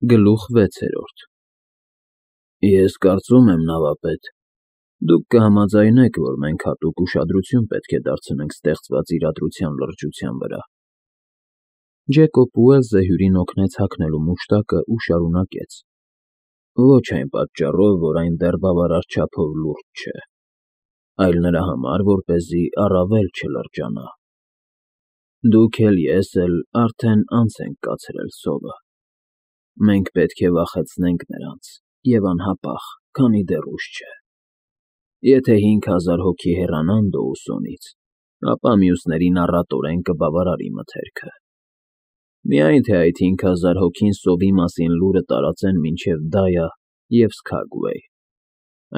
Գլուխ 6 Ես կարծում եմ, նավապետ, դուք կհամաձայնեք, որ մենք հատուկ ուշադրություն պետք է դարձնենք ստեղծված իրադրության լրջության վրա։ Ջեկոբ Ուելսը հյուրին օգնեց հագնելու մուշտակը ու շարունակեց. Ոչ այն պատճառով, որ այն դեռ բավարար չափով լուրջ չէ, այլ նրա համար, որպեսզի առավել չլրջանա։ Դուք էլ ես էլ արդեն անց ենք կացրել սովը։ Մենք պետք է վախեցնենք նրանց, և անհապաղ, քանի դեռ ուշ չէ։ Եթե 5000 հոգի հեռանան Դոուսոնից, ապա մյուսներին առատորեն կբավարարի մթերքը։ Միայն թե այդ 5000 հոգին սովի մասին լուրը տարածեն մինչև Դայա և Սքագուեյ։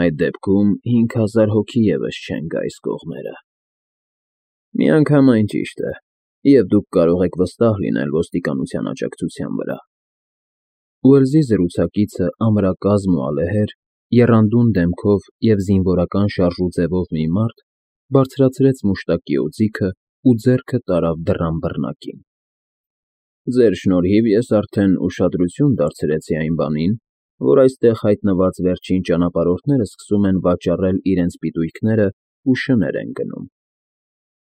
Այդ դեպքում 5000 հոգի ևս չեն գա այս կողմերը։ Միանգամայն ճիշտ է, և դուք կարող եք վստահ լինել ոստիկանության աջակցության վրա։ Ուելսի զրուցակիցը ամրակազմ ու ալեհեր, եռանդուն դեմքով և զինվորական շարժու ձևով մի մարդ բարձրացրեց մուշտակի օձիքը ու ձեռքը տարավ դռան բռնակին։ Ձեր շնորհիվ ես արդեն ուշադրություն դարձրեցի այն բանին, որ այստեղ հայտնված վերջին ճանապարհորդները սկսում են վաճառել իրենց պիտույքները ու շներ են գնում։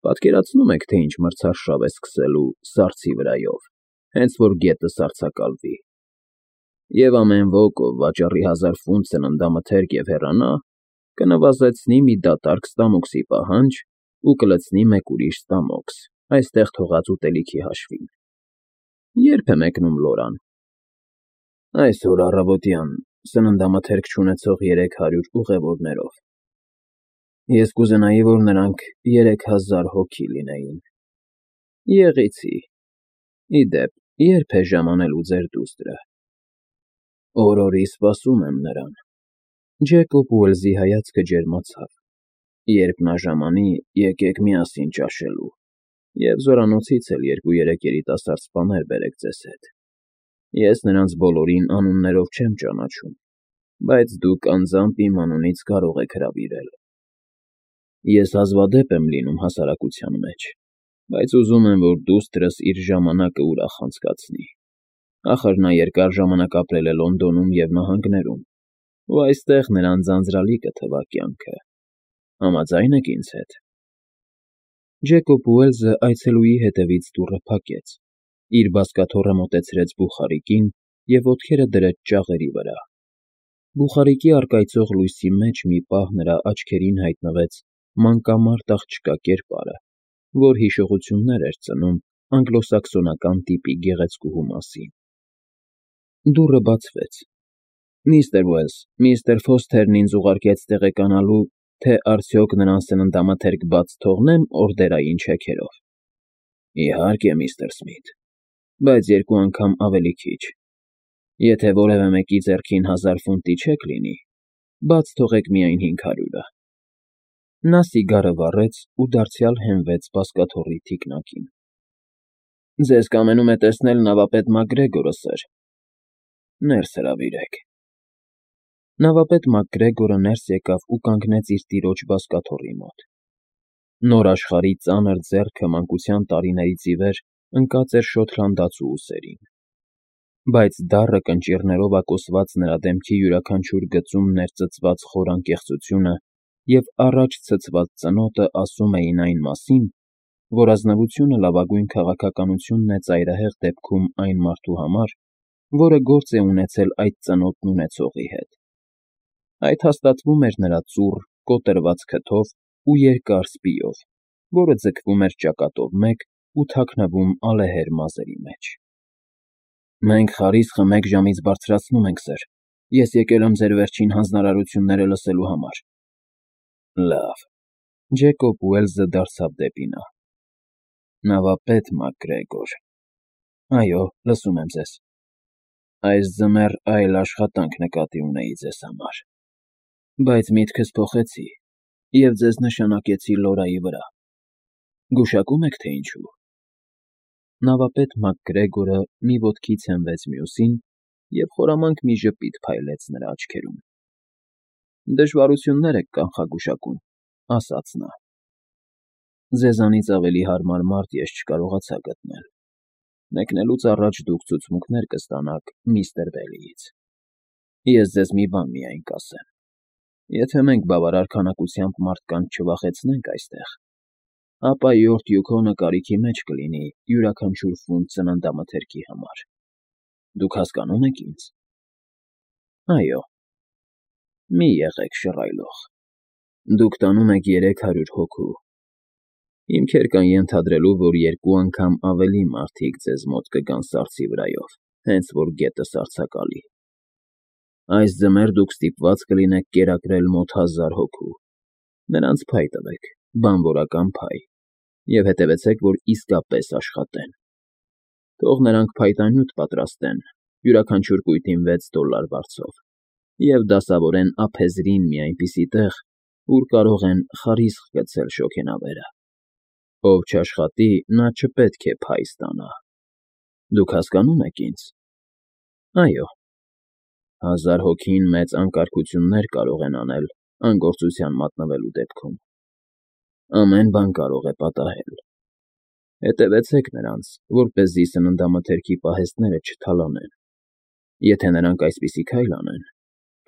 Պատկերացնո՞ւմ եք, թե ինչ մրցարշավ է սկսելու սառցի վրայով, հենց որ գետը սառցակալվի։ Եվ ամեն ոք, ով վաճառի 1000 ֆունտ սննդամթերք և հեռանա, կնվազեցնի մի դատարկ ստամոքսի պահանջ ու կլցնի մեկ ուրիշ ստամոքս, այստեղ թողած ուտելիքի հաշվին։ Ե՞րբ է մեկնում Լորան։ Այսօր առավոտյան, սննդամթերք չունեցող 300 ուղևորներով։ Ես կուզենայի, որ նրանք 3000 հոգի լինեին։ Եղեցի։ Ի դեպ, ե՞րբ է ժամանելու ձեր դուստրը։ Օրորի սպասում եմ նրան։ Ջեկոբ Ուելսի հայացքը ջերմացավ։ Երբ նա ժամանի, եկեք միասին ճաշելու, և զորանոցից էլ 2-3 երիտասարդ սպաներ բերեք ձեզ հետ։ Ես նրանց բոլորին անուններով չեմ ճանաչում, բայց դուք անձամբ իմ անունից կարող եք հրավիրել։ Ես հազվադեպ եմ լինում հասարակության մեջ, բայց ուզում եմ, որ դուստրս իր ժամանակը ուրախ անցկացնի։ Ախր նա երկար ժամանակ ապրել է Լոնդոնում և նահանգներում, ու այստեղ նրան ձանձրալի կթվա կյանքը։ Համաձայն եք ինձ հետ։ Ջեկոբ Ուելսը այցելուի հետևից դուռը փակեց, իր բազկաթոռը մոտեցրեց բուխարիկին և ոտքերը դրեց ճաղերի վրա։ Բուխարիկի առկայծող լույսի մեջ մի պահ նրա աչքերին հայտնվեց մանկամարդ աղջկա կերպարը, որ հիշողություններ էր ծնում անգլոսաքսոնական տիպի գեղեցկուհու մասին։ Դուռը բացվեց։ Միստր Ուելս, միստր Ֆոսթերն ինձ ուղարկեց տեղեկանալու, թե արդյոք նրան սննդամթերք բաց թողնե՞մ օրդերային չեքերով։ Իհարկե, միստր Սմիթ, բայց 2 անգամ ավելի քիչ։ Եթե որևէ մեկի ձեռքին 1000 ֆունտի չեք լինի, բաց թողեք միայն 500-ը։ Նա սիգարը վառեց ու դարձյալ հենվեց բազկաթոռի թիկնակին։ Ձեզ կամենում է տեսնել նավապետ Մակգրեգորը, սըր։ Ներս հրավիրեք։ Նավապետ Մակգրեգորը ներս եկավ ու կանգնեց իր տիրոջ բազկաթոռի մոտ։ Նոր աշխարհի ծանր ձեռքը մանկության տարիներից ի վեր ընկած էր շոթլանդացու ուսերին։ Բայց դառը կնճիռներով ակոսված նրա դեմքի յուրաքանչյուր գծում ներծծված խոր անկեղծությունը և առաջ ցցված ծնոտը ասում էին այն մասին, որ ազնվությունը լավագույն քաղաքականությունն է ծայրահեղ դեպքում այն մարդու համար, որը գործ է ունեցել այդ ծնոտն ունեցողի հետ։ Այդ հաստատվում էր նրա ծուռ, կոտրված քթով ու երկար սպիով, որը ձգվում էր ճակատով մեկ ու թաքնվում ալեհեր մազերի մեջ։ Մենք խարիսխը 1 ժամից բարձրացնում ենք, սըր։ Ես եկել եմ ձեր վերջին հանձնարարությունները լսելու համար։ Լավ։ Ջեկոբ Ուելսը դարձավ դեպի նա։ Նավապետ Մակգրեգոր։ Այո, լսում եմ ձեզ։ Այս ձմեռ այլ աշխատանք նկատի ունեի ձեզ համար, բայց միտքս փոխեցի և ձեզ նշանակեցի Լորայի վրա։ Գուշակո՞ւմ եք, թե ինչու։ Նավապետ Մակգրեգորը մի ոտքից հենվեց մյուսին և խորամանկ մի ժպիտ փայլեց նրա աչքերում։ Դժվարություններ եք կանխագուշակում, ասաց նա։ Ձեզանից ավելի հարմար մարդ ես չկարողացա գտնել։ Մեկնելուց առաջ դուք ցուցմունքներ կստանաք միստր Բեյլիից։ Ես ձեզ մի բան միայն կասեմ. եթե մենք բավարար քանակությամբ մարդկանց չվախեցնենք այստեղ, ապա Յորթ Յուքոնը կարիքի մեջ կլինի յուրաքանչյուր ֆունտ ծննդամթերքի համար։ Դուք հասկանո՞ւմ եք ինձ։ Այո։ Մի եղեք շռայլող։ Դուք տանում եք 300 հոգու։ Հիմքեր կան ենթադրելու, որ 2 անգամ ավելի մարդիկ ձեզ մոտ կգան սառցի վրայով, հենց որ գետը սառցակալի։ Այս ձմեռ դուք ստիպված կլինեք կերակրել մոտ 1000 հոգու։ Նրանց փայ տվեք, բանվորական փայ, և հետևեցեք, որ իսկապես աշխատեն։ Թող նրանք փայտանյութ պատրաստեն, յուրաքանչյուր կույտին $6 վարձով, և դասավորեն ափեզրին մի այնպիսի տեղ, ուր կարող են խարիսխ գցել շոգենավերը։ Ով չաշխատի, նա չպետք է փայ ստանա։ Դուք հասկանո՞ւմ եք ինձ։ Այո։ 1000 հոգին մեծ անկարգություններ կարող են անել անգործության մատնվելու դեպքում։ Ամեն բան կարող է պատահել։ Հետևեցեք նրանց, որպեսզի սննդամթերքի պահեստները չթալանեն։ Եթե նրանք այսպիսի քայլ անեն,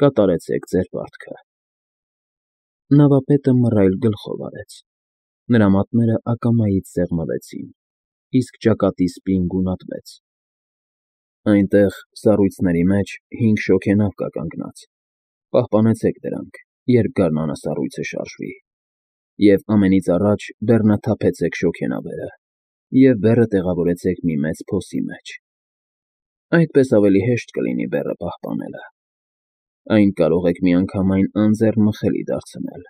կատարեցեք ձեր պարտքը։ Նավապետը մռայլ գլխով արեց։ Նրա մատները ակամայից սեղմվեցին, իսկ ճակատի սպին գունատվեց։ Այնտեղ, սառույցների մեջ 5 շոգենավ կա կանգնած։ Պահպանեցեք դրանք, երբ գարնանասառույցը շարժվի։ Եվ ամենից առաջ բեռնաթափեցեք շոգենավերը և բեռը տեղավորեցեք մի մեծ փոսի մեջ։ Այդպես ավելի հեշտ կլինի բեռը պահպանելը։ Այն կարող եք միանգամայն անձեռնմխելի դարձնել։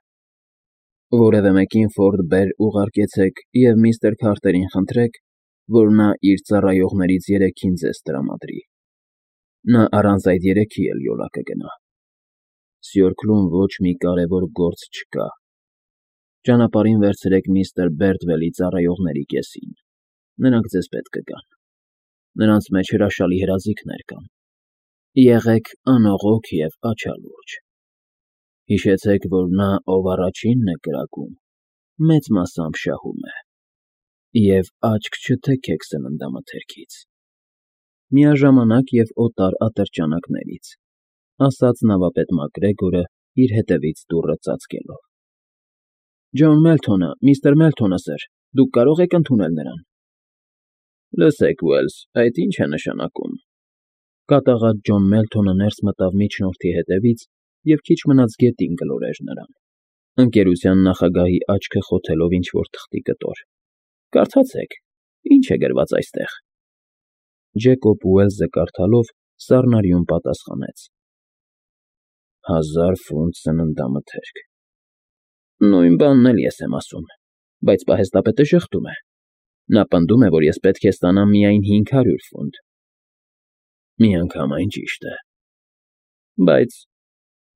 Որևէ մեկին Ֆորդ Բեր ուղարկեցեք և միստր Քարթերին խնդրեք, որ նա իր ծառայողներից 3-ին ձեզ տրամադրի։ Նա առանց այդ 3-ի էլ յոլա կգնա։ Սյորքլում ոչ մի կարևոր գործ չկա։ Ճանապարհին վերցրեք միստր Բերդվելի ծառայողների կեսին։ Նրանք ձեզ պետք կգան։ Նրանց մեջ հրաշալի հրաձիգներ կան։ Եղեք անողոք և աչալուրջ։ Հիշեցեք, որ նա, ով առաջինն է կրակում, մեծ մասամբ շահում է։ Եվ աչք չթեքեք սննդամթերքից։ Միաժամանակ և օտար ատրճանակներից, ասաց նավապետ Մակգրեգորը իր հետևից դուռը ծածկելով։ Ջոն Մելթոնը, միստր Մելթոնը, սըր, դուք կարող եք ընդունել նրան։ Լսեք, Ուելս, այդ ի՞նչ է նշանակում։ Կատաղած Ջոն Մելթոնը ներս մտավ միջնորդի հետևից և քիչ մնաց գետին գլորեր նրան, ընկերության նախագահի աչքը խոթելով ինչ֊որ թղթի կտոր։ Կարդացեք, ի՞նչ է գրված այստեղ։ Ջեկոբ Ուելսը կարդալով սառնարյուն պատասխանեց. 1000 ֆունտ սննդամթերք։ Նույն բանն էլ ես եմ ասում, բայց պահեստապետը ժխտում է։ Նա պնդում է, որ ես պետք է ստանամ միայն 500 ֆունտ։ Միանգամայն ճիշտ է։ Բայց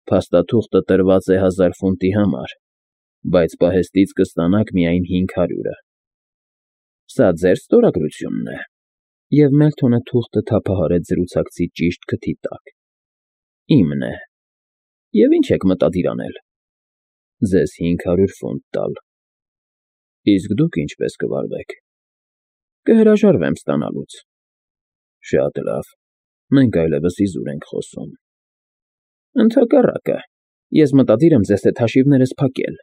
փաստաթուղթը տրված է 1000 ֆունտի համար, բայց պահեստից կստանաք միայն 500-ը։ Սա ձեր ստորագրությունն է։ Եվ Մելթոնը թուղթը թափահարեց զրուցակցի ճիշտ քթի տակ։ Իմն է։ Եվ ի՞նչ եք մտադիր անել։ Ձեզ 500 ֆունտ տալ։ Իսկ դուք ինչպես կվարվեք։ Կհրաժարվեմ ստանալուց։ Շատ լավ, մենք այլևս իզուր ենք խոսում։ Ընդհակառակը, ես մտադիր եմ ձեզ հետ հաշիվներս փակել։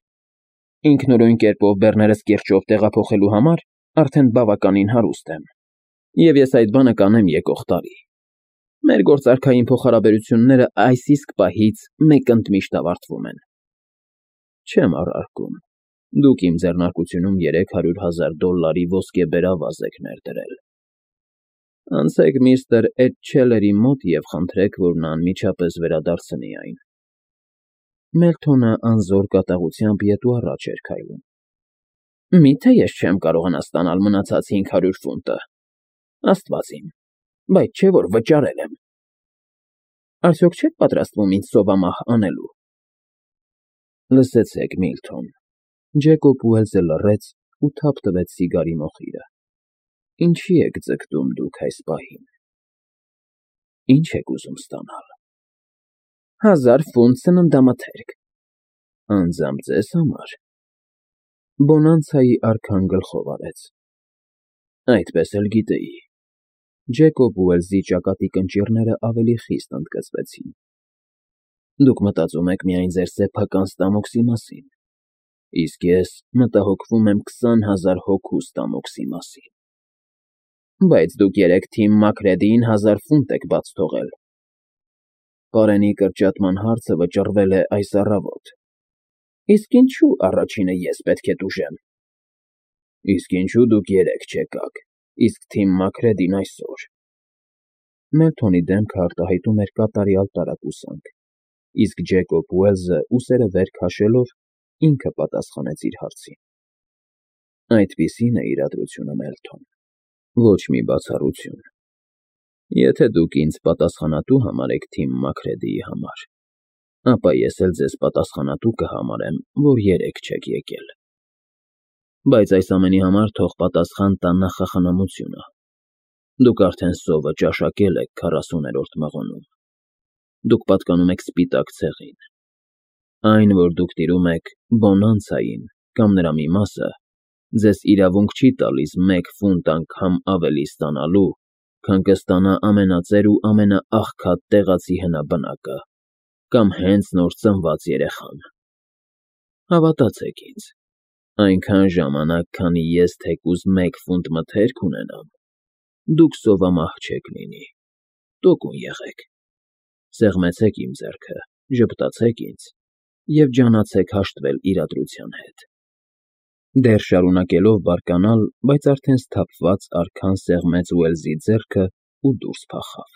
Ինքնուրույն կերպով բեռներս կիրճով տեղափոխելու համար արդեն բավականին հարուստ եմ, և ես այդ բանը կանեմ եկող տարի։ Մեր գործարքային փոխհարաբերությունները այս իսկ պահից մեկ ընդմիշտ ավարտվում են։ Չեմ առարկում։ Դուք իմ ձեռնարկությունում $300,000 ոսկեբերավազ եք ներդրել։ Անցեք միստր Էդչելերի մոտ և խնդրեք, որ նա անմիջապես վերադարձնի այն։ Մելթոնը անզոր կատաղությամբ ետու առաջ էր քայլում։ Մի՞թե ես չեմ կարողանա ստանալ մնացած 500 ֆունտը։ Աստված իմ, բայց չէ՞ որ վճարել եմ։ Արդյոք չեք պատրաստվում ինձ սովամահ անելու։ Լսեցեք, Միլթոն։ Ջեկոբ Ուելսը լռեց ու թափ տվեց սիգարի մոխիրը։ Ինչի եք ձգտում դուք այս պահին։ Ինչ եք ուզում ստանալ։ 1000 ֆունտ սննդամթերք։ Անձամբ ձեզ համար։ Բոնանցայի արքան գլխով արեց։ Այդպես էլ գիտեի։ Ջեկոբ Ուելսի ճակատի կնճիռները ավելի խիստ ընդգծվեցին։ Դուք մտածում եք միայն ձեր սեփական ստամոքսի մասին, իսկ ես մտահոգվում եմ 20,000 հոգու ստամոքսի մասին։ Բայց դուք երեկ Թիմ Մաքրեդիին 1000 ֆունտ եք բաց թողել։ Պարենի կրճատման հարցը վճռվել է այս առավոտ։ Իսկ ինչու առաջինը ես պետք է տուժեմ։ Իսկ ինչու դուք երեկ չեկաք, իսկ Թիմ Մաքրեդին այսօր։ Մելթոնի դեմքը արտահայտում էր կատարյալ տարակուսանք, իսկ Ջեկոբ Ուելսը ուսերը վեր քաշելով ինքը պատասխանեց իր հարցին։ Այդպիսին է իրադրությունը, Մելթոն, ոչ մի բացառություն։ Եթե դուք ինձ պատասխանատու համարեք Թիմ Մաքրեդիի համար, ապա ես էլ ձեզ պատասխանատու կհամարեմ, որ երեկ չեք եկել։ Բայց այս ամենի համար թող պատասխան տա նախախնամությունը։ Դուք արդեն սովը ճաշակել եք 40-րդ մղոնում։ Դուք պատկանում եք սպիտակ ցեղին։ Այն, որ դուք տիրում եք բոնանցային կամ նրա մի մասը, ձեզ իրավունք չի տալիս 1 ֆունտ անգամ ավելի ստանալու, քան կստանա ամենածեր ու ամենաաղքատ տեղացի հնաբնակը կամ հենց նոր ծնված երեխան։ Հավատացեք ինձ, այնքան ժամանակ, քանի ես թեկուզ 1 ֆունտ մթերք ունենամ, դուք սովամահ չեք լինի, տոկուն եղեք, սեղմեցեք իմ ձեռքը, ժպտացեք ինձ և ջանացեք հաշտվել իրադրության հետ։ Դեռ շարունակելով բարկանալ, բայց արդեն սթափված արքան սեղմեց Ուելսի ձեռքը ու դուրս փախավ։